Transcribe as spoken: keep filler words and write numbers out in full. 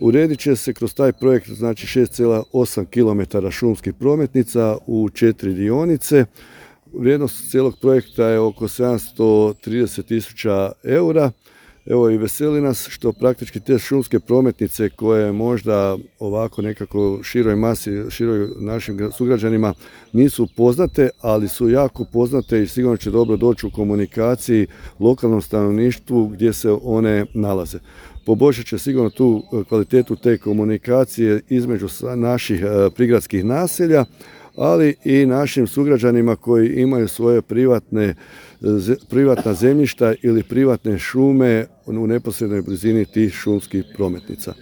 Uredit će se kroz taj projekt znači šest zarez osam kilometara šumskih prometnica u četiri dionice. Vrijednost cijelog projekta je oko sedamsto trideset tisuća eura. Evo i veseli nas što praktički te šumske prometnice koje možda ovako nekako široj masi, široj našim sugrađanima nisu poznate, ali su jako poznate i sigurno će dobro doći u komunikaciji lokalnom stanovništvu gdje se one nalaze. Poboljšat će sigurno tu kvalitetu te komunikacije između naših prigradskih naselja, ali i našim sugrađanima koji imaju svoje privatne, privatna zemljišta ili privatne šume u neposrednoj blizini tih šumskih prometnica.